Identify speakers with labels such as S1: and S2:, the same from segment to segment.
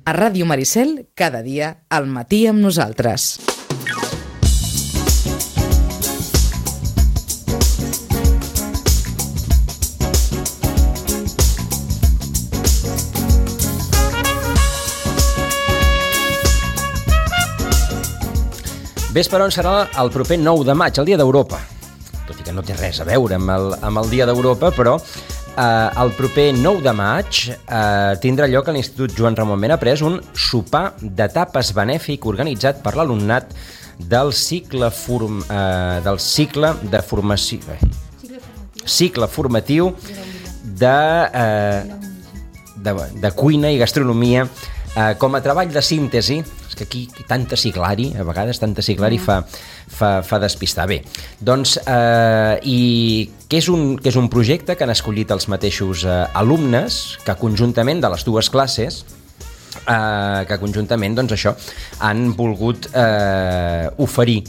S1: A Ràdio Maricel, cada dia, al matí amb nosaltres.
S2: Ves per on serà el proper 9 de maig, el Dia d'Europa. Tot i que no té res a veure amb el Dia d'Europa, però el proper 9 de maig tindrà lloc a l'Institut Joan Ramon Benaprés un sopar de tapes benèfic organitzat per l'alumnat del cicle formatiu de cuina i gastronomia com a treball de síntesi. És que aquí tanta siglari, a vegades tanta siglari fa despistar. Bé, doncs, i que és un projecte que han escollit els mateixos alumnes que conjuntament de les dues classes doncs això, han volgut oferir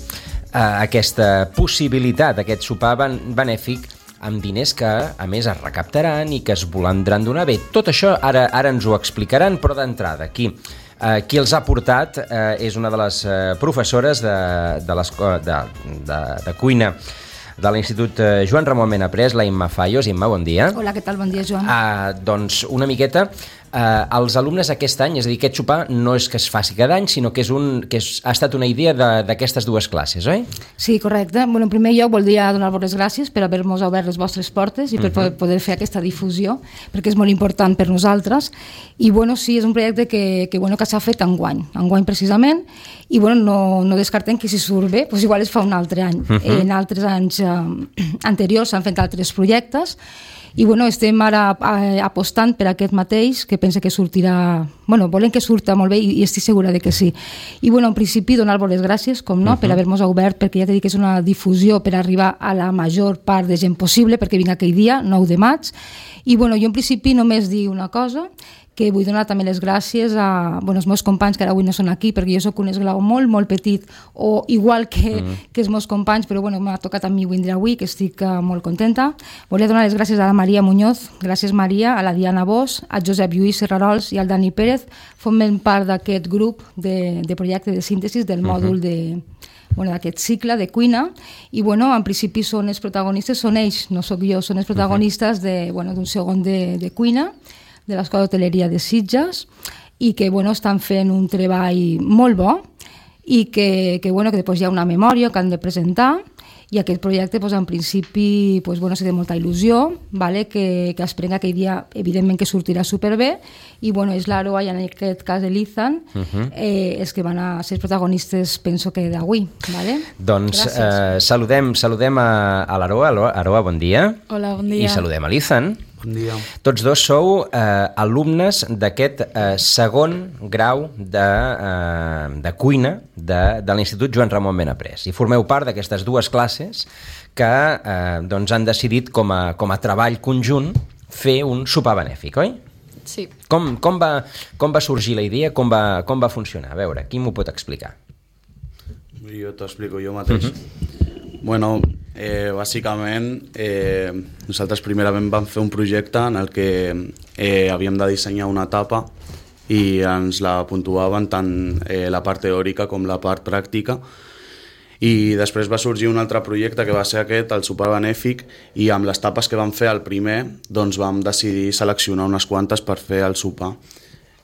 S2: aquesta possibilitat, aquest sopar benèfic amb diners que, a més, es recaptaran i que es voldran donar. Bé, tot això ara ens ho explicaran, però d'entrada, qui els ha portat és una de les professores de cuina de l'Institut Joan Ramon Benaprés, la Imma Fallos. Imma, bon dia.
S3: Hola, què tal? Bon dia, Joan.
S2: Doncs una miqueta, els alumnes aquest any, és a dir, aquest sopar no és que es faci cada any, sinó que ha estat una idea d'aquestes dues classes, oi?
S3: Sí, correcte. Bueno, en primer lloc voldria donar-vos les gràcies per haver-nos obert les vostres portes i per poder fer aquesta difusió, perquè és molt important per nosaltres. I bueno, sí, és un projecte que s'ha fet enguany precisament, i bueno, no descartem que si surt bé, doncs igual es fa un altre any. En altres anys anteriors s'han fet altres projectes, i bueno, estem ara apostant per aquest mateix, que pense que sortirà, bueno, volem que surta molt bé i estic segura de que sí. I bueno, en principi donar-vos les gràcies, com no, per haver-nos obert, perquè ja t'he dit que és una difusió per arribar a la major part de gent possible, perquè vinc aquell dia, 9 de maig, i bueno, jo en principi només dic una cosa, que vull donar també les gràcies als meus companys, que ara avui no són aquí, perquè jo soc un esglau molt, molt petit, o igual que els meus companys, però bueno, m'ha tocat a mi vindre avui, que estic molt contenta. Volia donar les gràcies a la Maria Muñoz, gràcies Maria, a la Diana Bosch, a Josep Lluís Serrarols i al Dani Pérez, formem part d'aquest grup de projecte de síntesi del mòdul d'aquest cicle de cuina, i bueno, en principi són els protagonistes, són ells, no sóc jo, són els protagonistes d'un segon de cuina, de l'Escola d'Hoteleria de Sitges, i que estan fent un treball molt bo, i que després hi ha una memòria que han de presentar, i aquest projecte en principi sí, té molta il·lusió, que es prenga aquell dia, evidentment que sortirà superbé, i és l'Aroa i en aquest cas l'Izan els que van a ser protagonistes, penso que d'avui.
S2: Doncs saludem a l'Aroa. Aroa, bon dia.
S4: Hola, bon dia.
S2: I saludem a l'Izan.
S5: Bon dia.
S2: Tots dos sou alumnes d'aquest segon grau de cuina de l'Institut Joan Ramon Benaprés, i formeu part d'aquestes dues classes que han decidit com a treball conjunt fer un sopar benèfic, oi?
S4: Sí.
S2: Com va sorgir la idea, com va funcionar? A veure, qui m'ho pot explicar?
S5: Jo t'ho explico jo mateix. Bueno, bàsicament nosaltres primerament vam fer un projecte en el que havíem de dissenyar una tapa i ens la puntuaven tant la part teòrica com la part pràctica, i després va sorgir un altre projecte que va ser aquest, el sopar benèfic, i amb les tapes que vam fer el primer doncs vam decidir seleccionar unes quantes per fer el sopar.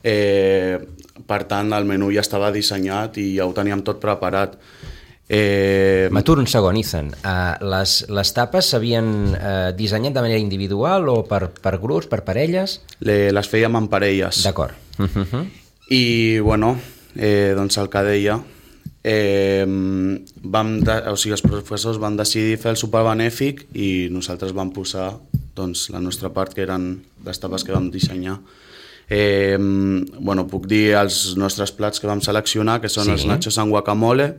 S5: Per tant, el menú ja estava dissenyat i ja ho teníem tot preparat.
S2: M'aturo un segon, Izan. Les tapes s'havien dissenyat de manera individual o per grups, per parelles?
S5: Les fèiem en parelles.
S2: D'acord.
S5: I bueno, doncs el que deia, els professors van decidir fer el sopar benèfic i nosaltres vam posar la nostra part, que eren les tapes que vam dissenyar. Puc dir els nostres plats que vam seleccionar, que són els nachos amb guacamole,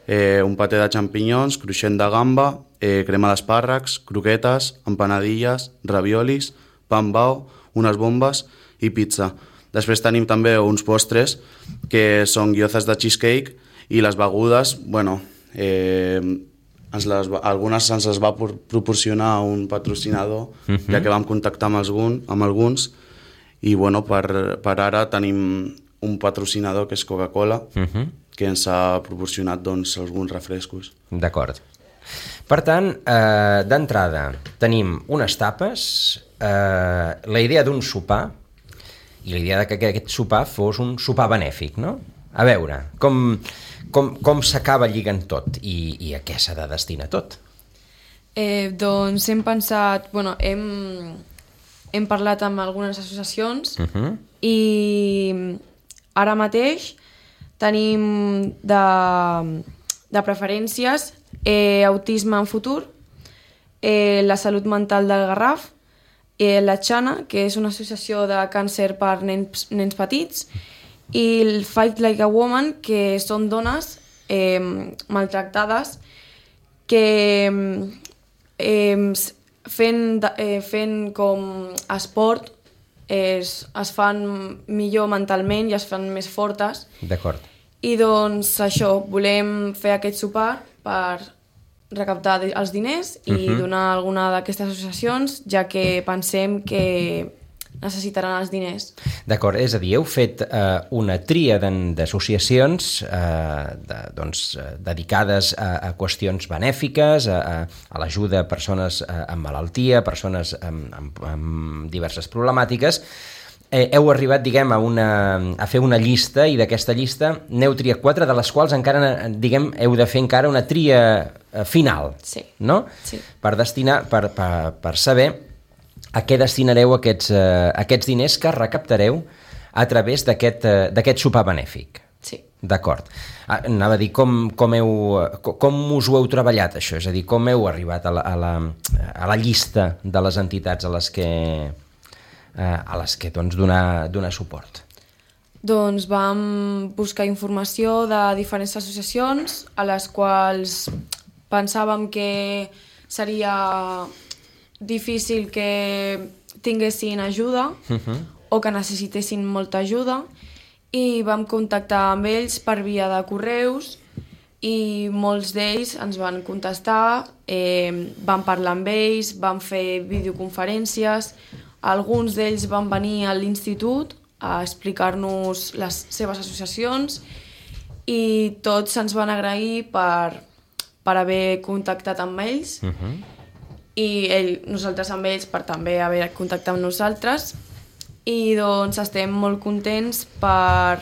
S5: un paté de xampinyons, cruixent de gamba, crema d'espàrrecs, croquetes, empanadilles, raviolis, pa amb bao, unes bombes i pizza. Després tenim també uns postres que són gyozas de cheesecake, i les begudes, algunes ens les va proporcionar un patrocinador, ja que vam contactar amb alguns, i per ara tenim un patrocinador que és Coca-Cola, que ens ha proporcionat doncs, alguns refrescos.
S2: D'acord. Per tant, d'entrada, tenim unes tapes, la idea d'un sopar i la idea que aquest sopar fos un sopar benèfic, no? A veure, com s'acaba lligant tot i a què s'ha de destinar tot?
S4: Doncs hem pensat... Bueno, hem parlat amb algunes associacions i ara mateix tenim de preferències autisme en futur, la salut mental del Garraf, la Xana, que és una associació de càncer per nens petits, i el Fight Like a Woman, que són dones maltractades que fent com esport es fan millor mentalment i es fan més fortes.
S2: D'acord.
S4: I doncs això, volem fer aquest sopar per recaptar els diners i donar a alguna d'aquestes associacions, ja que pensem que necessitaran els diners.
S2: D'acord, és a dir, heu fet una tria d'associacions dedicades a qüestions benèfiques, a l'ajuda a persones amb malaltia, persones amb diverses problemàtiques. Heu arribat, diguem, a fer una llista i d'aquesta llista n'heu triat 4, de les quals encara, diguem, heu de fer encara una tria final,
S4: sí.
S2: No?
S4: Sí.
S2: Per destinar, per saber a què destinareu aquests diners que recaptareu a través d'aquest sopar benèfic.
S4: Sí.
S2: D'acord. Anava a dir, com us ho heu treballat, això? És a dir, com heu arribat a la llista de les entitats a les que doncs, donar suport?
S4: Doncs vam buscar informació de diferents associacions a les quals pensàvem que seria difícil que tinguessin ajuda o que necessitessin molta ajuda, i vam contactar amb ells per via de correus i molts d'ells ens van contestar, vam parlar amb ells, vam fer videoconferències, alguns d'ells van venir a l'institut a explicar-nos les seves associacions i tots ens van agrair per haver contactat amb ells i nosaltres amb ells per també haver contactat amb nosaltres, i doncs estem molt contents per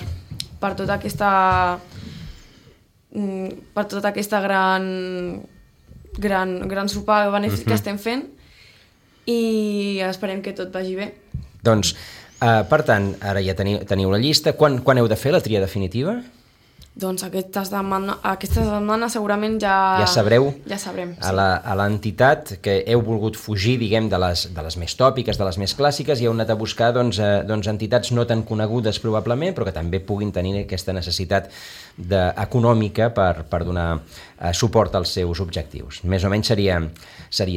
S4: tota aquesta gran sopar benèfic que estem fent, i esperem que tot vagi bé.
S2: Doncs, per tant, ara ja teniu la llista. Quan heu de fer la tria definitiva?
S4: Doncs aquesta setmana segurament ja
S2: sabreu.
S4: Ja sabrem, sí.
S2: A l'entitat que heu volgut fugir, diguem, de les més tòpiques, de les més clàssiques, i heu anat a buscar doncs, entitats no tan conegudes probablement, però que també puguin tenir aquesta necessitat econòmica per donar suport als seus objectius. Més o menys seria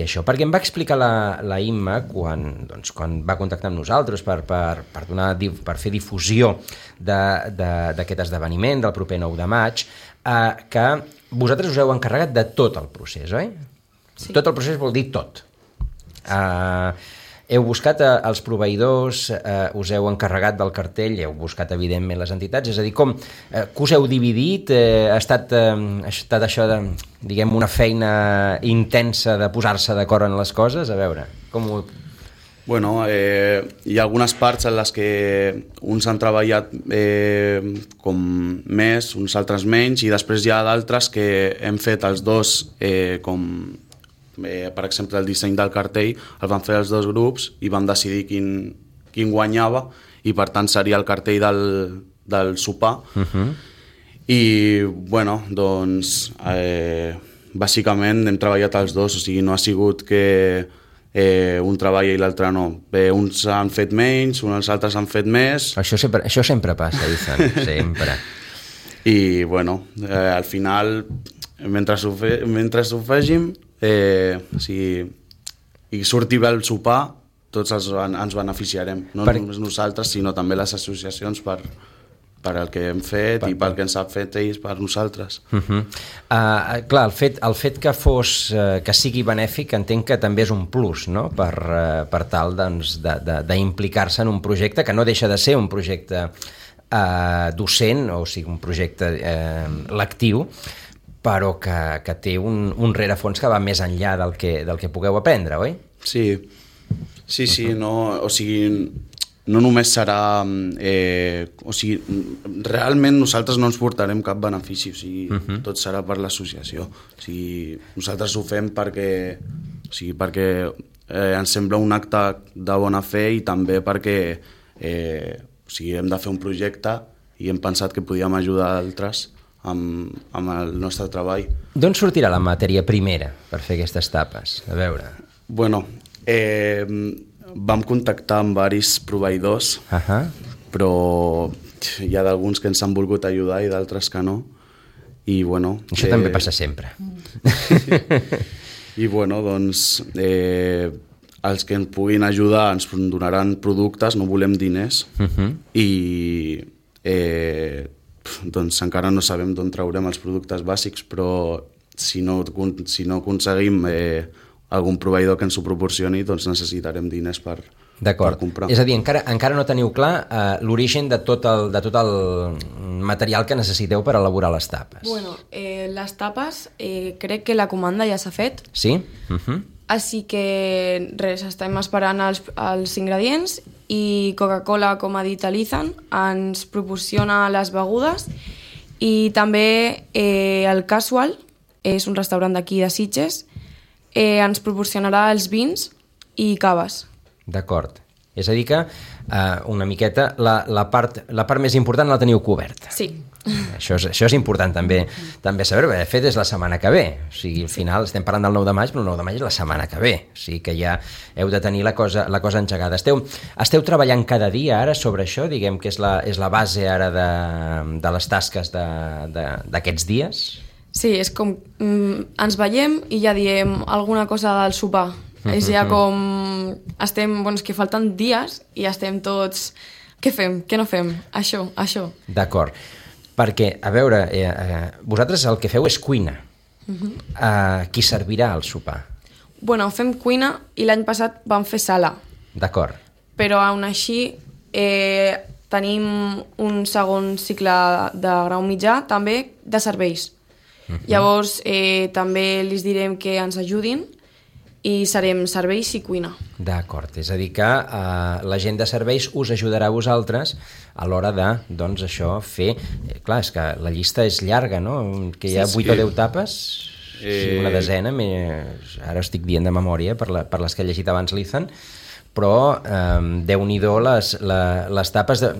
S2: això. Perquè em va explicar la Imma, quan va contactar amb nosaltres per fer difusió d'aquest esdeveniment del proper 9 de maig, que vosaltres us heu encarregat de tot el procés, oi? Sí. Tot el procés vol dir tot. Heu buscat els proveïdors, us heu encarregat del cartell, heu buscat evidentment les entitats, és a dir, que us heu dividit, ha estat això de, diguem, una feina intensa de posar-se d'acord en les coses, a veure, com ho...
S5: Bueno, hi ha algunes parts en les que uns han treballat com més, uns altres menys, i després hi ha d'altres que hem fet els dos per exemple, el disseny del cartell el van fer els dos grups i vam decidir quin guanyava, i per tant seria el cartell del sopar. I bueno, doncs bàsicament hem treballat els dos, o sigui, no ha sigut que un treballa i l'altre no. Uns han fet menys, uns altres han fet més.
S2: Això sempre passa, Ethan, sempre.
S5: I bueno, al final, mentre ho fègim, i surti bé el sopar, tots ens beneficiarem, no només nosaltres, sinó també les associacions per el que hem fet i pel que ens han fet ells per nosaltres.
S2: Clar, el fet que sigui benèfic entenc que també és un plus, no? Per tal d'implicar-se en un projecte que no deixa de ser un projecte docent, o sigui, un projecte lectiu, però que té un rerefons que va més enllà del que pugueu aprendre, oi?
S5: Sí, no, o sigui, no només serà... o sigui, realment nosaltres no ens portarem cap benefici, o sigui, tot serà per l'associació. O sigui, nosaltres ho fem perquè ens sembla un acte de bona fe i també perquè o sigui, hem de fer un projecte i hem pensat que podíem ajudar altres amb el nostre treball.
S2: D'on sortirà la matèria primera per fer aquestes tapes? A veure.
S5: Bueno, vam contactar amb diversos proveïdors, però hi ha d'alguns que ens han volgut ajudar i d'altres que no. I, bueno,
S2: això també passa sempre.
S5: I bueno, doncs els que ens puguin ajudar ens donaran productes, no volem diners, i doncs encara no sabem d'on traurem els productes bàsics, però si no aconseguim algun proveïdor que ens ho proporcioni, doncs necessitarem diners per comprar.
S2: És a dir, encara no teniu clar l'origen de tot el material que necessiteu per elaborar les tapes.
S4: Bueno, les tapes crec que la comanda ja s'ha fet.
S2: Sí?
S4: Així que res, estem esperant els ingredients i Coca-Cola, com ha dit l'Ethan, ens proporciona les begudes i també el Casual, és un restaurant d'aquí de Sitges, ens proporcionarà els vins i caves.
S2: D'acord. És a dir que una miqueta la part més important la teniu coberta.
S4: Sí.
S2: Això és important també saber, perquè de fet és la setmana que ve. O sigui, al final estem parlant del 9 de maig, però el 9 de maig és la setmana que ve. O sigui que ja heu de tenir la cosa engegada. Esteu treballant cada dia ara sobre això? Diguem que és la base ara de les tasques d'aquests dies?
S4: Sí, és com ens veiem i ja diem alguna cosa del sopar. És ja com estem, és que falten dies i estem tots, què fem, què no fem, això.
S2: D'acord, perquè, a veure, vosaltres el que feu és cuina. Qui servirà el sopar?
S4: Bueno, fem cuina i l'any passat vam fer sala.
S2: D'acord.
S4: Però aún així tenim un segon cicle de grau mitjà també de serveis. Llavors també els direm que ens ajudin i serem serveis i cuina.
S2: D'acord, és a dir que la gent de serveis us ajudarà a vosaltres a l'hora de, doncs, això, fer... Clar, és que la llista és llarga, no? Que hi ha 8 o 10 tapes, una desena, ara estic dient de memòria per les que he llegit abans l'Ethan, però Déu-n'hi-do les tapes de...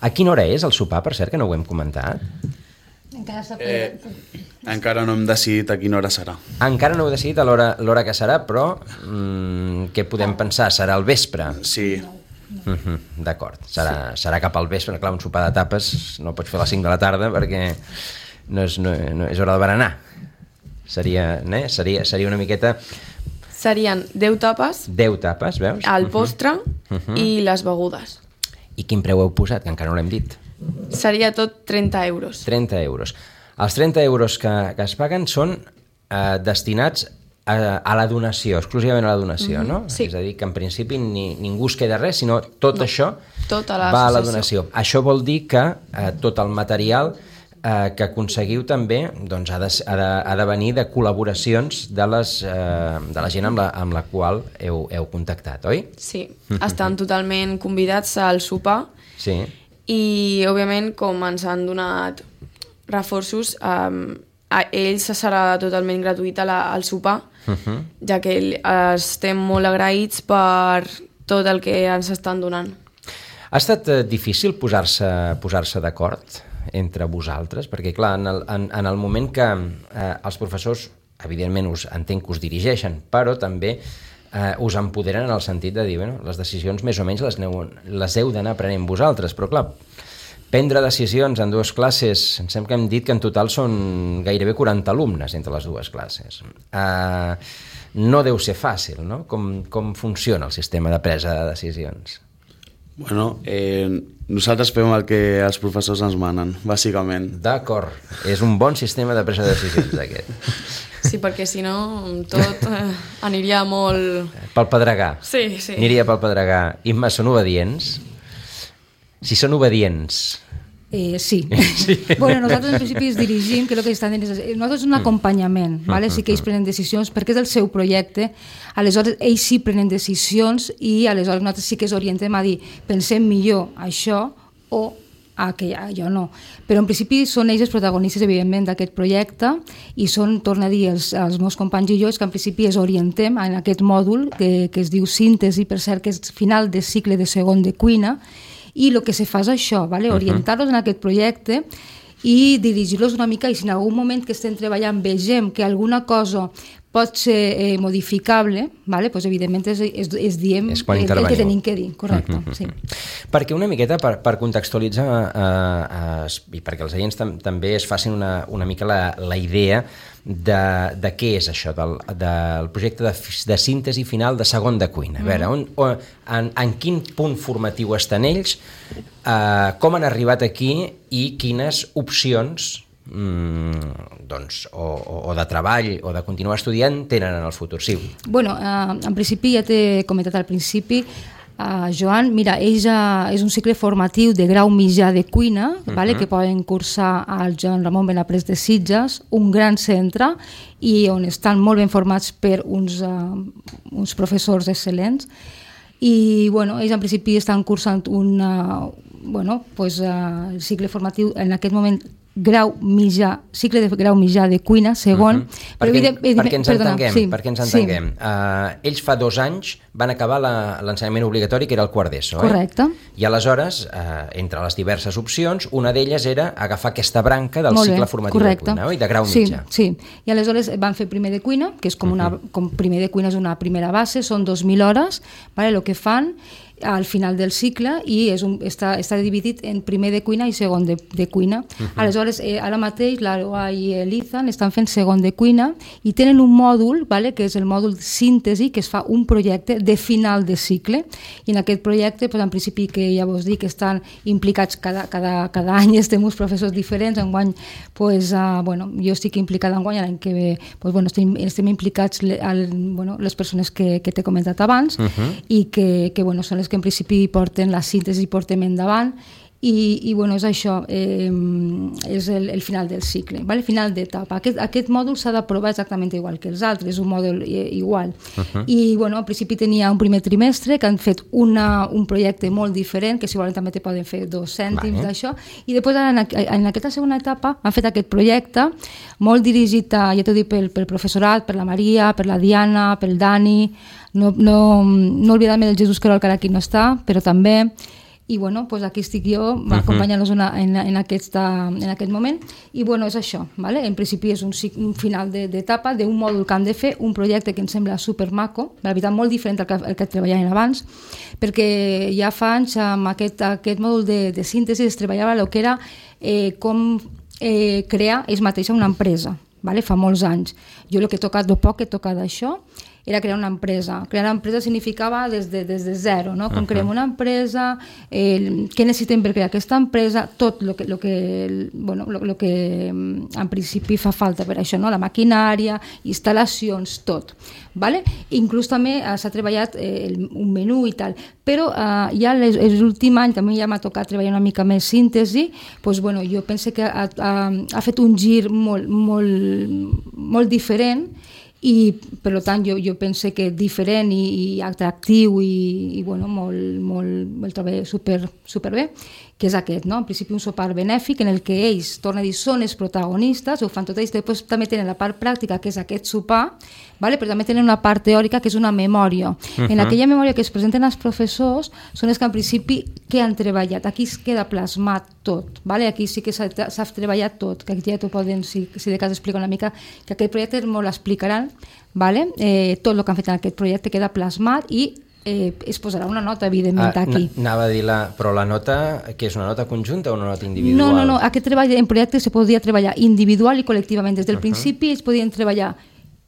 S2: A quina hora és el sopar, per cert, que no ho hem comentat?
S5: Encara no hem decidit a quina hora serà.
S2: Encara no heu decidit a l'hora que serà, però què podem pensar? Serà al vespre?
S5: Sí.
S2: D'acord, serà cap al vespre. Clar, un sopar de tapes no el pots fer a les 5 de la tarda perquè no és hora de berenar. Seria una miqueta...
S4: Serien 10 tapes.
S2: 10 tapes, veus?
S4: El postre i les begudes.
S2: I quin preu heu posat, que encara no l'hem dit?
S4: Seria tot 30 euros.
S2: 30 euros. Els 30 euros que es paguen són destinats a la donació, exclusivament a la donació, no?
S4: Sí.
S2: És a dir, que en principi ningú es queda res, sinó tot això va a la donació. Això vol dir que tot el material que aconseguiu també doncs, ha de venir de col·laboracions de la gent amb la qual heu contactat, oi?
S4: Sí, estan totalment convidats al sopar.
S2: Sí.
S4: I, òbviament, com ens han donat reforços, a ells serà totalment gratuït al sopar, ja que estem molt agraïts per tot el que ens estan donant.
S2: Ha estat difícil posar-se d'acord entre vosaltres? Perquè, clar, en el moment que els professors, evidentment, entenc que us dirigeixen, però també us empoderen en el sentit de dir, bueno, les decisions més o menys les heu d'anar prenent vosaltres, però clar, prendre decisions en 2 classes, em sembla que hem dit que en total són gairebé 40 alumnes entre les 2 classes. No deu ser fàcil, no? Com funciona el sistema de presa de decisions?
S5: Bueno, nosaltres fem el que els professors ens manen, bàsicament.
S2: D'acord, és un bon sistema de presa de decisions aquest.
S4: Sí, perquè si no tot aniria molt...
S2: Pel pedregar.
S4: Sí.
S2: Aniria pel pedregar. Imma, són obedients? Si són obedients,
S3: Sí. Bueno, nosaltres en principi es dirigim, que el que estan dient és, nosaltres és un acompanyament, vale? Sí que ells prenen decisions perquè és el seu projecte, aleshores ells sí prenen decisions i aleshores nosaltres sí que es orientem a dir pensem millor això o allò no. Però en principi són ells els protagonistes, evidentment, d'aquest projecte i són, torno a dir, els meus companys i jo, que en principi es orientem en aquest mòdul que es diu síntesi, per cert, que és final de cicle de segon de cuina, i el que se fa és això, vale? Orientar-los en aquest projecte i dirigir-los una mica, i si en algun moment que estem treballant vegem que alguna cosa pot ser modificable, vale? Pues evidentment es diem el que tenim que dir, correcte. Sí.
S2: Perquè una miqueta, per contextualitzar i perquè els oients també es facin una mica la idea de què és això, del projecte de síntesi final de segon de cuina. A veure, en quin punt formatiu estan ells, com han arribat aquí i quines opcions o de treball o de continuar estudiant tenen en el futur. Sí.
S3: Bueno, en principi ja t'he comentat al principi, Joan, mira, ell és un cicle formatiu de grau mitjà de cuina, vale, que poden cursar al Joan Ramon Benaprés de Sitges, un gran centre i on estan molt ben formats per uns professors excel·lents. I bueno, ells en principi estan cursant el cicle formatiu en aquest moment cicle de grau mitjà de cuina, segon.
S2: Perquè ens entenguem. Ells fa 2 anys van acabar l'ensenyament obligatori, que era el quart d'ESO.
S3: Correcte.
S2: I aleshores, entre les diverses opcions, una d'elles era agafar aquesta branca del cicle formatiu de cuina, i de grau mitjà.
S3: Sí, i aleshores van fer primer de cuina, que és com primer de cuina és una primera base, són 2.000 hores, el que fan al final del cicle i està dividit en primer de cuina i segon de cuina. Aleshores, ara mateix l'Aroa i l'Izan estan fent segon de cuina i tenen un mòdul, que és el mòdul síntesi, que es fa un projecte de final de cicle, i en aquest projecte, en principi, que ja vos dic, estan implicats cada any, estem uns professors diferents. Enguany, jo estic implicada enguany, l'any que ve estem implicats les persones que t'he comentat abans i que són les que en principi porten la síntesi i portem endavant i és això, és el final del cicle, el final d'etapa. Aquest mòdul s'ha d'aprovar exactament igual que els altres, és un mòdul igual. I en principi tenia un primer trimestre que han fet un projecte molt diferent, que si volen també te poden fer 2 cèntims d'això, i després en aquesta segona etapa han fet aquest projecte molt dirigit, ja t'ho dic, pel professorat, per la Maria, per la Diana, pel Dani, no oblidar-me del Jesús Querol, que ara aquí no està, però també. I aquí estic jo acompanyant-los en aquest moment i és això, en principi és un final d'etapa d'un mòdul que hem de fer, un projecte que em sembla supermaco, la veritat molt diferent al que treballaven abans, perquè ja fa anys amb aquest mòdul de síntesi es treballava el que era com crear ells mateixos una empresa, fa molts anys. Jo el poc que he tocat d'això era crear una empresa. Crear una empresa significava des de zero, no? Com creem una empresa, què necessitem per crear aquesta empresa, tot el que en principi fa falta per això, no? La maquinària, instal·lacions, tot. Vale? Inclús també s'ha treballat un menú i tal, però ja l'últim any també ja m'ha tocat treballar una mica més síntesi, jo penso que ha fet un gir molt diferent i per tant jo penso que diferent i atractiu i el trobo superbé, que és aquest, no? En principi un sopar benèfic en el que ells, torna a dir, són els protagonistes, ho fan tot ells, després també tenen la part pràctica, que és aquest sopar, però també tenen una part teòrica, que és una memòria. En aquella memòria que es presenten els professors són els que en principi que han treballat, aquí es queda plasmat tot, aquí sí que s'ha treballat tot, que aquí ja t'ho poden, si de cas explica una mica, que aquest projecte molt l'explicaran, tot el que han fet en aquest projecte queda plasmat i es posarà una nota, evidentment, aquí.
S2: Anava a dir, però la nota, que és una nota conjunta o una nota individual?
S3: No, aquest treball en projecte se podia treballar individual i col·lectivament. Des del principi ells podien treballar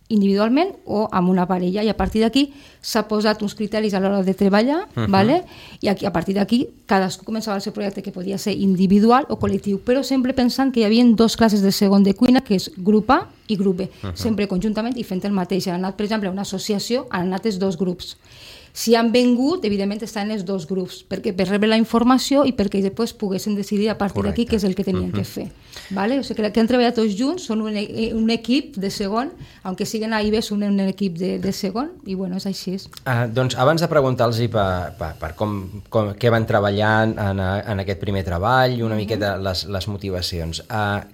S3: individualment o amb una parella, i a partir d'aquí s'ha posat uns criteris a l'hora de treballar, i a partir d'aquí cadascú començava el seu projecte, que podia ser individual o col·lectiu, però sempre pensant que hi havia 2 classes de segon de cuina, que és grup A i grup B, sempre conjuntament i fent el mateix. Han anat, per exemple, a una associació, han anat els 2 grups. Si han vengut, evidentment estan els dos grups, perquè per rebre la informació i perquè després poguessin decidir a partir d'aquí què és el que tenien que fer. Vale? O sigui que han treballat tots junts, són un equip de segon, aunque siguen a IBE, són un equip de segon, i bueno, és així.
S2: Doncs abans de preguntar-los per què van treballar en aquest primer treball i una miqueta les motivacions,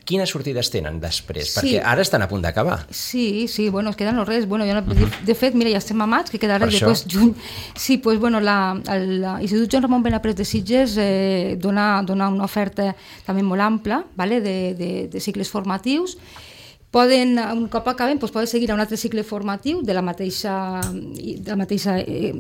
S2: quines sortides tenen després? Perquè ara estan a punt d'acabar.
S3: Sí, bueno, es queden res. Bueno, de fet, mira, ja estem a maig, que queda res després juny. Sí, doncs, bueno, l'Institut Joan Ramon Benaprés de Sitges dona una oferta també molt ampla, vale, de cicles formatius. Un cop acaben, poden seguir a un altre cicle formatiu de la mateixa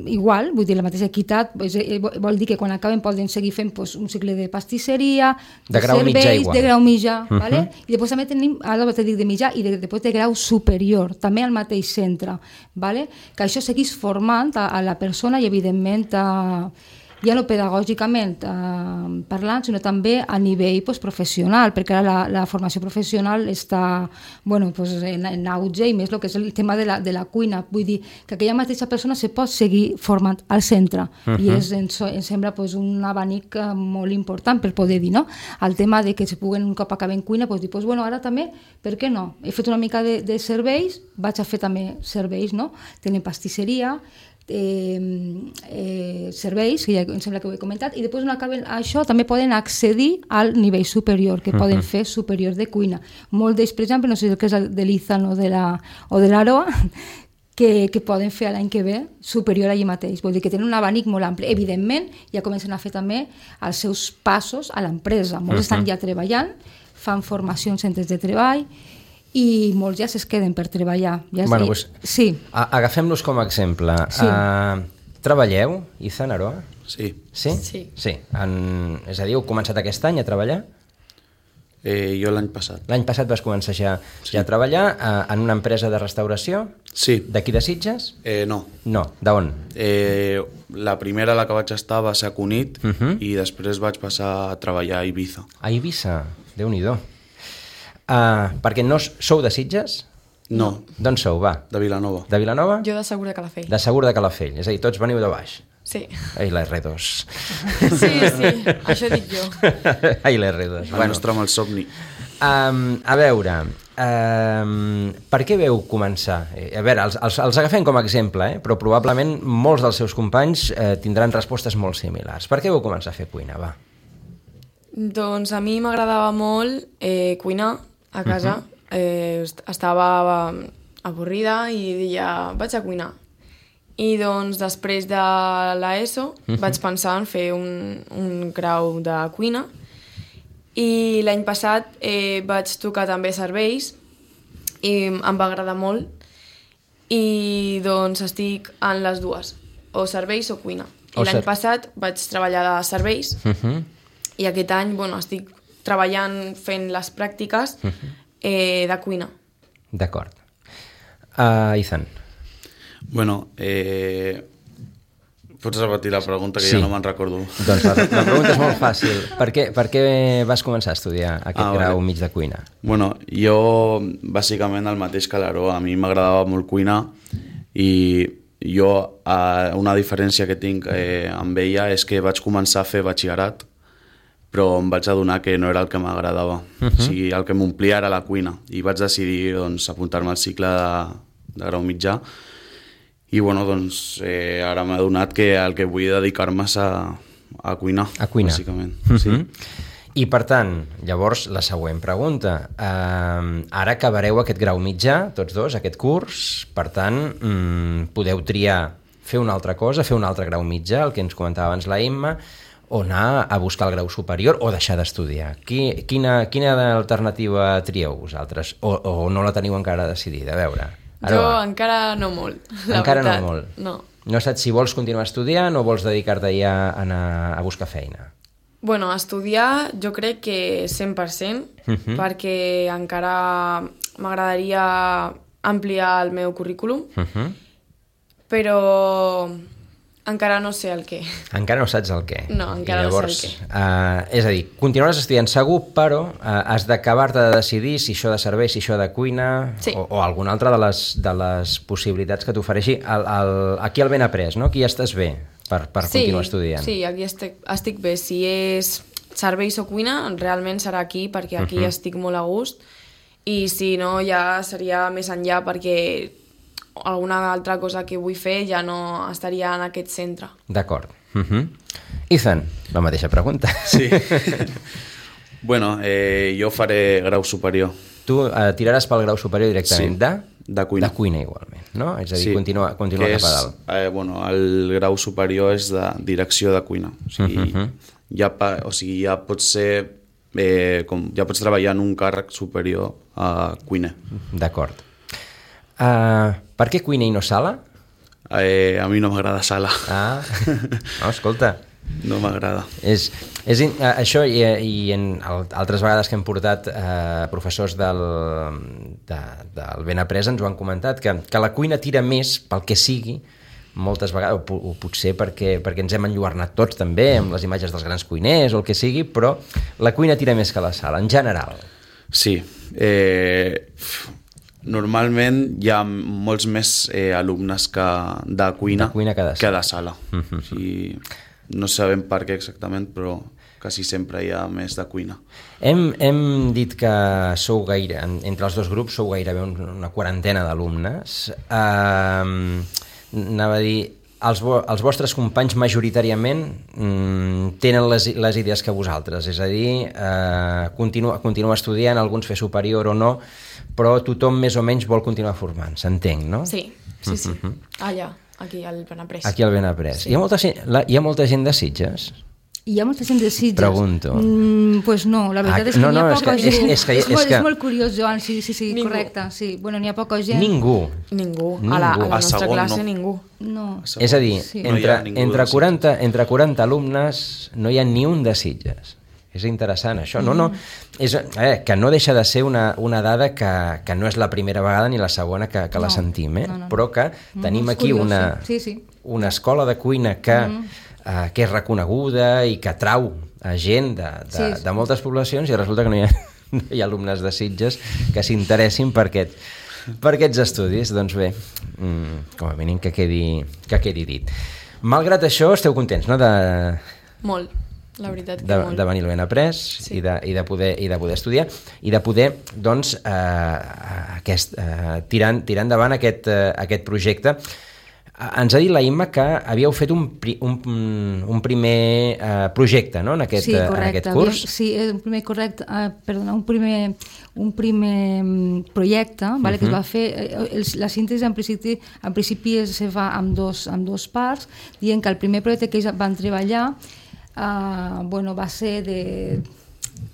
S3: igual, vull dir, la mateixa equitat, vol dir que quan acaben poden seguir fent un cicle de pastisseria,
S2: de grau mitjà igual.
S3: De grau mitjà, vale? I després també tenim, ara t'he dit de mitjà, i després de grau superior, també al mateix centre, vale? Que això seguís formant a la persona i evidentment ja no pedagògicament parlant, sinó també a nivell professional, perquè ara la formació professional està en auge, i més el que és el tema de la cuina. Vull dir que aquella mateixa persona se pot seguir formant al centre, i ens sembla un abanic molt important per poder dir, no? El tema de que se puguen, un cop acaben cuina, dir, ara també, per què no? He fet una mica de serveis, vaig a fer també serveis, no? Tenen pastisseria, serveis, que ja em sembla que ho he comentat, i després quan acaben això també poden accedir al nivell superior, que poden fer superior de cuina. Molt d'ells, per exemple, no sé el que és de l'Izan o de l'Aroa, que poden fer l'any que ve superior allà mateix. Vol dir que tenen un abanic molt ampli. Evidentment, ja comencen a fer també els seus passos a l'empresa. Molts estan ja treballant, fan formacions en centres de treball, i molts ja es queden per treballar. Sí.
S2: Agafem-los com a exemple.
S3: Sí.
S2: Treballeu, Izan, Aroa?
S5: Sí.
S2: Sí? És a dir, heu començat aquest any a treballar?
S5: Jo l'any passat.
S2: L'any passat vas començar ja a treballar en una empresa de restauració?
S5: Sí.
S2: D'aquí de Sitges?
S5: No.
S2: No, d'on?
S5: La primera, la que vaig estar, va ser a Cunit, i després vaig passar a treballar a Ibiza.
S2: A Ibiza? Déu-n'hi-do. Perquè no sou de Sitges?
S5: No.
S2: D'on sou, va?
S5: De Vilanova.
S2: De Vilanova?
S4: Jo de Segur de Calafell.
S2: De Segur de Calafell, és a dir, tots veniu de baix.
S4: Sí.
S2: Ai, la R2.
S4: Sí, això dic jo.
S2: Ai, la R2.
S5: El nostre mal somni.
S2: A veure, per què veu començar? A veure, els agafem com a exemple, però probablement molts dels seus companys tindran respostes molt similars. Per què veu començar a fer cuina, va?
S4: Doncs a mi m'agradava molt cuinar a casa. Estava avorrida i deia, vaig a cuinar. I doncs després de l'ESO vaig pensar en fer un grau de cuina, i l'any passat vaig tocar també serveis i em va agradar molt, i doncs estic en les dues, o serveis o cuina. I l'any passat vaig treballar de serveis, i aquest any estic treballant fent les pràctiques de cuina.
S2: D'acord. Izan.
S5: Bueno, pots repetir la pregunta, que ja no me'n recordo.
S2: Doncs la pregunta és molt fàcil. Per què vas començar a estudiar aquest grau mig de cuina?
S5: Bueno, jo bàsicament el mateix que l'Aroa. A mi m'agradava molt cuinar, i jo una diferència que tinc amb ella és que vaig començar a fer batxillerat, però em vaig adonar que no era el que m'agradava. O sigui, el que m'omplia era la cuina, i vaig decidir apuntar-me al cicle de grau mitjà, i ara m'he adonat que el que vull dedicar-me és a cuinar.
S2: A cuinar.
S5: Bàsicament.
S2: I per tant, llavors, la següent pregunta. Ara acabareu aquest grau mitjà, tots dos, aquest curs, per tant, podeu triar fer una altra cosa, fer un altre grau mitjà, el que ens comentava abans la Imma, o anar a buscar el grau superior o deixar d'estudiar. Quina alternativa trieu vosaltres? O no la teniu encara decidida? A veure.
S4: Jo encara no molt, la
S2: encara
S4: veritat.
S2: No molt?
S4: No.
S2: No saps si vols continuar estudiant o vols dedicar-te ja a anar a buscar feina?
S4: Bueno, estudiar jo crec que 100%, perquè encara m'agradaria ampliar el meu currículum, però Encara no sé el què.
S2: Encara no saps el què.
S4: No, encara
S2: I llavors,
S4: no sé el què.
S2: És a dir, continuaràs estudiant segur, però has d'acabar-te de decidir si això de servei, si això de cuina,
S4: Sí.
S2: o alguna altra de les possibilitats que t'ofereixi. Aquí al ben après, no? Aquí ja estàs bé per continuar estudiant.
S4: Sí, aquí estic bé. Si és serveis o cuina, realment serà aquí, perquè aquí estic molt a gust, i si no ja seria més enllà, perquè alguna altra cosa que vull fer ja no estaria en aquest centre.
S2: D'acord. Ethan, la mateixa pregunta.
S5: Sí. Bueno, jo faré grau superior.
S2: Tu tiraràs pel grau superior directament
S5: de cuina.
S2: De cuina igualment, no? És a dir,
S5: Sí,
S2: continua cap a dalt.
S5: Bueno, el grau superior és de direcció de cuina. O sigui, ja pots ser... ja pots treballar en un càrrec superior a cuiner.
S2: D'acord. Per què cuina i no sala?
S5: A mi no m'agrada sala.
S2: No, escolta,
S5: No m'agrada.
S2: Això i en altres vegades que hem portat professors del ben après ens ho han comentat, que la cuina tira més pel que sigui, moltes vegades, o potser perquè ens hem enlluernat tots també amb les imatges dels grans cuiners o el que sigui, però la cuina tira més que la sala, en general.
S5: Sí. Normalment hi ha molts més alumnes de cuina que de sala. O sigui, no sabem per què exactament, però quasi sempre hi ha més de cuina.
S2: Hem dit que sou gaire, entre els dos grups sou gairebé una quarantena d'alumnes. Anava a dir, els vostres companys majoritàriament tenen les idees que vosaltres, és a dir, continuar estudiant, alguns fer superior o no, però tothom més o menys vol continuar formant-se, entenc, no?
S4: Sí. Allà, aquí al Benaprés.
S2: Aquí al Benaprés.
S4: Sí.
S2: Hi ha molta gent de Sitges?
S3: Hi ha molta gent de Sitges?
S2: Pregunto.
S3: Pues no, la veritat és que n'hi ha poca gent.
S2: És
S3: molt curiós, Joan, sí,
S4: Ningú.
S3: correcte. Sí. Bueno, n'hi ha poca gent.
S2: Ningú.
S4: A la
S5: A
S4: nostra
S5: segon,
S4: classe
S5: no.
S4: ningú.
S3: No.
S2: És a dir,
S3: Sí.
S5: No hi ha ningú
S2: entre
S5: de
S2: 40 alumnes no hi ha ni un de Sitges. És interessant, això. No, que no deixa de ser una dada que no és la primera vegada ni la segona que la sentim,
S3: no.
S2: però que tenim
S3: És
S2: aquí
S3: curiós, sí.
S2: una escola de cuina que és reconeguda i que atrau a gent de moltes poblacions, i resulta que no hi ha alumnes de Sitges que s'interessin per aquests estudis. Doncs bé, com a mínim que quedi dit. Malgrat això, esteu contents, no?,
S4: Molt, la veritat que molt.
S2: de venir al Benaprés,
S4: Sí.
S2: i de poder estudiar i de poder, doncs, tirar endavant aquest projecte. Ens ha dit la Imma que havíeu fet un primer projecte, no?, en aquest curs.
S3: Un primer projecte, vale, que es va fer. La síntesi en principi es fa amb dos parts, dient que el primer projecte que ells van treballar va ser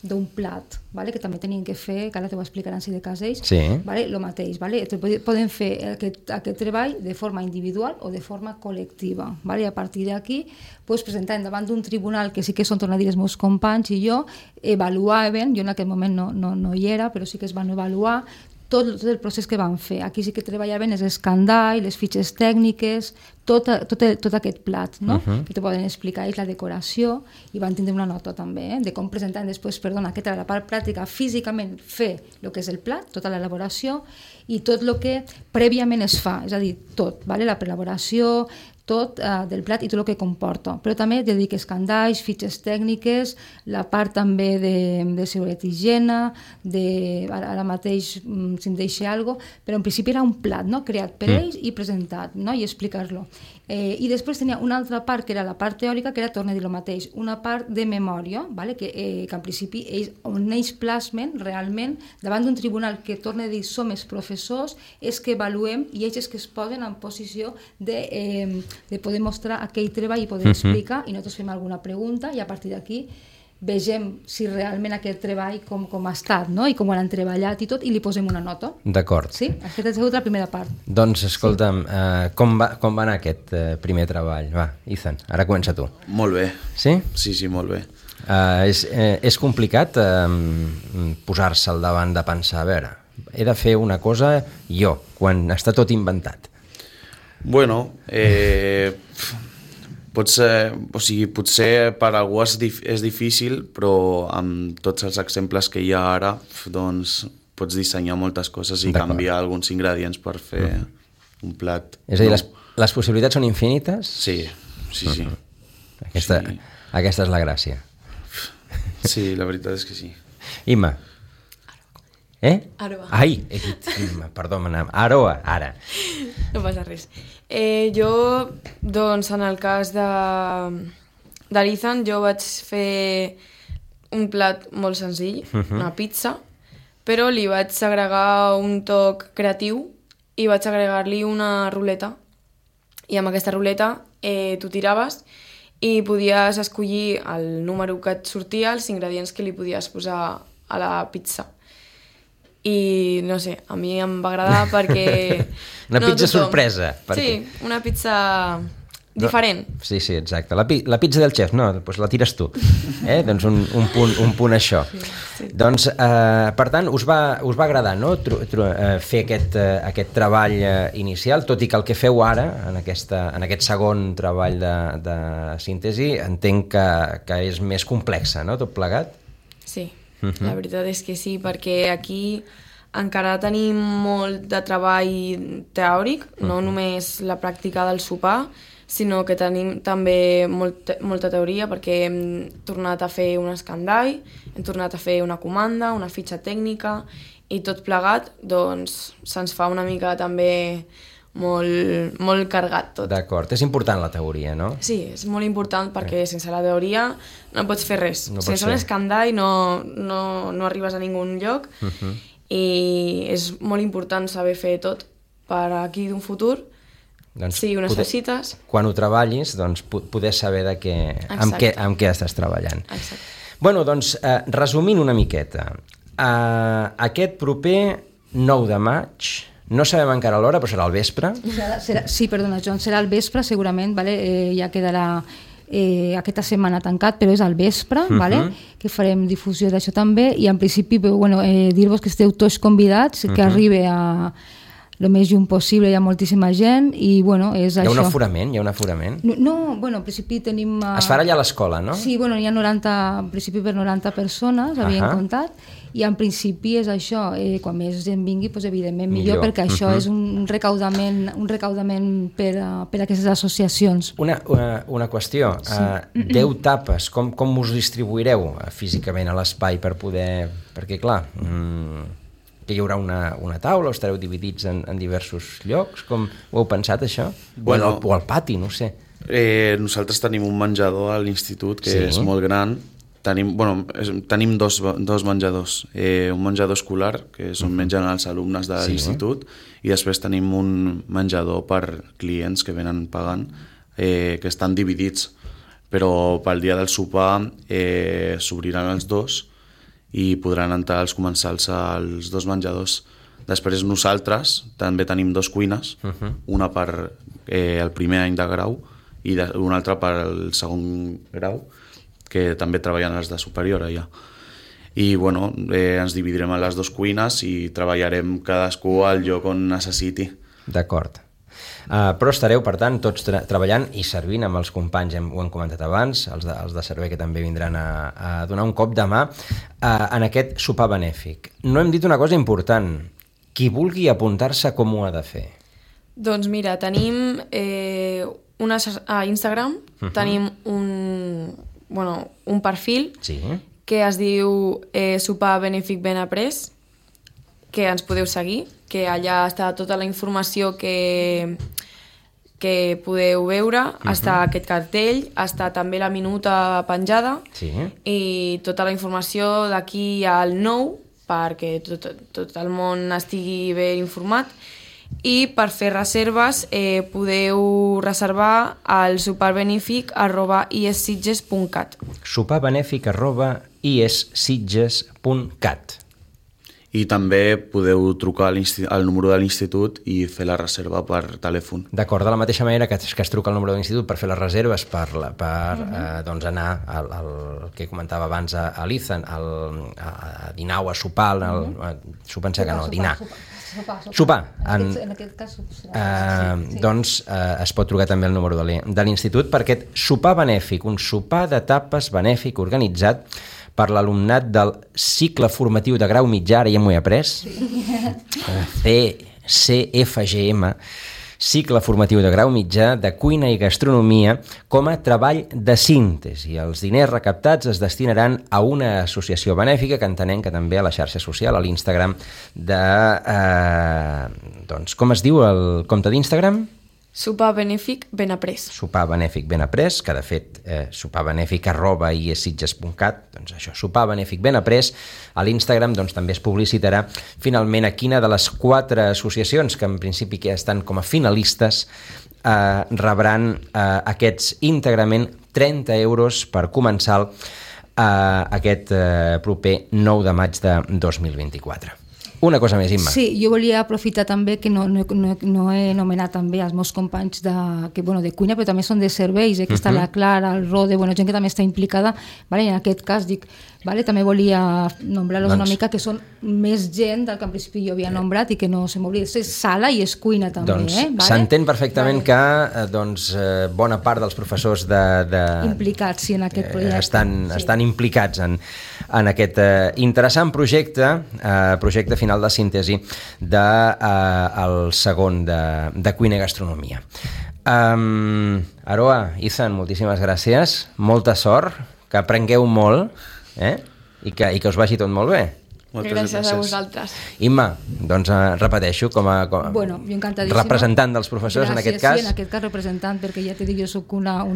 S3: d'un plat, vale? Que també tenien que fer, que ara t'ho explicaran si de cas ells,
S2: Sí.
S3: vale? Lo mateix, vale? Poden fer aquest treball de forma individual o de forma col·lectiva, vale? I a partir d'aquí presentant davant d'un tribunal, que sí que són, torno a dir, els meus companys i jo, avaluaven, jo en aquell moment no hi era, però sí que es van avaluar tot el procés que van fer. Aquí sí que treballaven els escandalls, les fitxes tècniques, tot aquest plat, no? Que te poden explicar, és la decoració, i van tindre una nota també, de com presentar després, aquesta era la part pràctica, físicament fer el que és el plat, tota l'elaboració, i tot el que prèviament es fa, és a dir, tot, vale? La prelaboració, tot del plat i tot el que comporta. Però també te dic escandalls, fitxes tècniques, la part també de seguretat i higiene, ara mateix si em deixa alguna cosa, però en principi era un plat, no?, creat per ells i presentat, no?, i explicar-lo. I després tenia una altra part, que era la part teòrica, que era, torno a dir el mateix, una part de memòria, vale? que en principi on ells plasmen realment davant d'un tribunal, que torno a dir som els professors, és que avaluem i ells és que es posen en posició de poder mostrar aquell treball i poder explicar, i nosaltres fem alguna pregunta i a partir d'aquí vegem si realment aquest treball com ha estat, no? I com ho han treballat i tot, i li posem una nota.
S2: D'acord.
S3: Sí? Aquesta ha sigut la primera part.
S2: Doncs escolta'm, com va anar aquest primer treball? Va, Ethan, ara comença tu.
S5: Molt bé.
S2: Sí?
S5: Sí, molt bé.
S2: És complicat posar-se al davant de pensar, a veure, he de fer una cosa jo, quan està tot inventat.
S5: Bueno, Potser per algú és difícil, però amb tots els exemples que hi ha ara, doncs pots dissenyar moltes coses i canviar alguns ingredients per fer un plat.
S2: És a dir, les possibilitats són infinites?
S5: Sí.
S2: Aquesta és la gràcia.
S5: Sí, la veritat és que sí.
S2: Imma.
S4: Aroa.
S2: Ai, he dit Imma, perdó, Aroa, ara.
S4: No passa res. Jo, doncs, en el cas d'Ethan, jo vaig fer un plat molt senzill, una pizza, però li vaig agregar un toc creatiu i vaig agregar-li una ruleta. I amb aquesta ruleta tu tiraves i podies escollir el número que et sortia, els ingredients que li podies posar a la pizza. I no sé, a mi em va agradar perquè...
S2: Una pizza sorpresa.
S4: Sí, una pizza diferent.
S2: Sí, exacte. La pizza del xef, no, doncs la tires tu. Doncs un punt això. Sí. Doncs, per tant, us va agradar, no?, fer aquest treball inicial, tot i que el que feu ara, en aquest segon treball de síntesi, entenc que és més complexa, no?, tot plegat?
S4: Sí. La veritat és que sí, perquè aquí encara tenim molt de treball teòric, no només la pràctica del sopar, sinó que tenim també molta teoria, perquè hem tornat a fer un escandall, hem tornat a fer una comanda, una fitxa tècnica, i tot plegat doncs se'ns fa una mica també molt cargat tot.
S2: D'acord, és important la teoria, no?
S4: Sí, és molt important perquè sense la teoria no pots fer res. Sense un escandall no arribes a ningun lloc i és molt important saber fer tot per aquí d'un futur.
S2: Doncs
S4: si ho necessites...
S2: Quan ho treballis, doncs poder saber amb què estàs treballant.
S4: Exacte.
S2: Bueno, doncs, resumint una miqueta, aquest proper 9 de maig... No sabem encara l'hora, però serà al vespre.
S3: Sí, perdona, Joan, serà al vespre segurament, vale? Ja quedarà aquesta setmana tancat, però és al vespre, vale? Que farem difusió d'això també, i en principi dir-vos que esteu tots convidats, que arribi a el més lluny possible, hi ha moltíssima gent, i és això.
S2: Hi ha un aforament?
S3: No, en principi tenim...
S2: Es farà allà a l'escola, no?
S3: Sí, hi ha 90, en principi per 90 persones, havien comptat, i en principi és això, quan més gent vingui, evidentment millor, perquè això és un recaudament per a aquestes associacions.
S2: Una qüestió, 10 tapes, com us distribuireu físicament a l'espai per poder... Perquè, clar, que hi haurà una taula o estareu dividits en diversos llocs? Com ho heu pensat, això? O al pati, no sé.
S5: Nosaltres tenim un menjador a l'institut que és molt gran. Tenim dos menjadors. Un menjador escolar, que és on mengen els alumnes de l'institut, i després tenim un menjador per clients que venen pagant, que estan dividits. Però pel dia del sopar s'obriran els dos i podran entrar els comensals als dos menjadors. Després nosaltres també tenim 2 cuines, una per el primer any de grau i una altra per al segon grau, que també treballen els de superior allà. I ens dividirem en les 2 cuines i treballarem cadascú al lloc on necessiti.
S2: D'acord. Però estareu, per tant, tots treballant i servint amb els companys, ho hem comentat abans, els de servei que també vindran a donar un cop de mà en aquest sopar benèfic. No hem dit una cosa important. Qui vulgui apuntar-se, com ho ha de fer?
S4: Doncs mira, tenim a Instagram, tenim un perfil que es diu Sopar Benèfic Ben Après, que ens podeu seguir, que allà està tota la informació que podeu veure, està aquest cartell, està també la minuta penjada i tota la informació d'aquí al 9, perquè tot el món estigui ben informat. I per fer reserves podeu reservar al soparbenefic@isitges.cat.
S2: soparbenefic@isitges.cat.
S5: I també podeu trucar al número de l'institut i fer la reserva per telèfon.
S2: D'acord, de la mateixa manera que es truca al número de l'institut per fer les reserves, per anar al que comentava abans a l'Ethan, a dinar o a sopar, sopar que no, dinar. Sopar.
S3: En aquest cas, sí.
S2: Doncs es pot trucar també el número de l'Institut per aquest sopar benèfic, un sopar de tapes benèfic organitzat per l'alumnat del cicle formatiu de grau mitjà, ara ja m'ho he après, CFGM, cicle formatiu de grau mitjà de cuina i gastronomia com a treball de síntesi. Els diners recaptats es destinaran a una associació benèfica que entenem que també a la xarxa social, a l'Instagram de... doncs, com es diu el compte d'Instagram?
S4: Sopar benèfic ben après.
S2: Sopar benèfic ben après, que de fet soparbenèfic@iesitges.cat, doncs això, sopar benèfic ben après, a l'Instagram doncs també es publicitarà finalment a quina de les 4 associacions que en principi que estan com a finalistes rebran aquests íntegrament 30 euros per començar aquest proper 9 de maig de 2024. Una cosa més, Imma.
S3: Sí, jo volia aprofitar també que no he anomenat també els meus companys de cuina, però també són de serveis, que està la Clara, el Rode, gent que també està implicada, en aquest cas dic, també volia nombrar-los una mica, que són més gent del que en principi jo havia nombrat i que no se m'oblida. És sala i és cuina també.
S2: Doncs s'entén perfectament que bona part dels professors
S3: implicats en aquest projecte
S2: estan implicats en aquest interessant projecte final de síntesi del segon de cuina i gastronomia. Aroa, Izan, moltíssimes gràcies, molta sort, que aprengueu molt i que us vagi tot molt bé.
S4: Gràcies a vosaltres.
S2: Imma, doncs repeteixo, com a representant dels professors.
S3: Gràcies,
S2: en aquest cas.
S3: Sí, en aquest cas representant, perquè ja t'he dit, jo soc una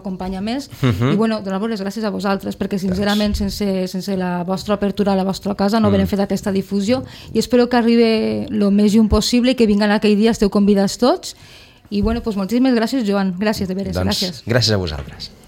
S3: companya més, i donar-vos les gràcies a vosaltres, perquè sincerament sense la vostra apertura a la vostra casa no haurem fet aquesta difusió, i espero que arribi el més lluny possible i que vinguen aquell dia, esteu convidats tots, i moltíssimes gràcies, Joan, gràcies de veres, gràcies.
S2: Gràcies a vosaltres.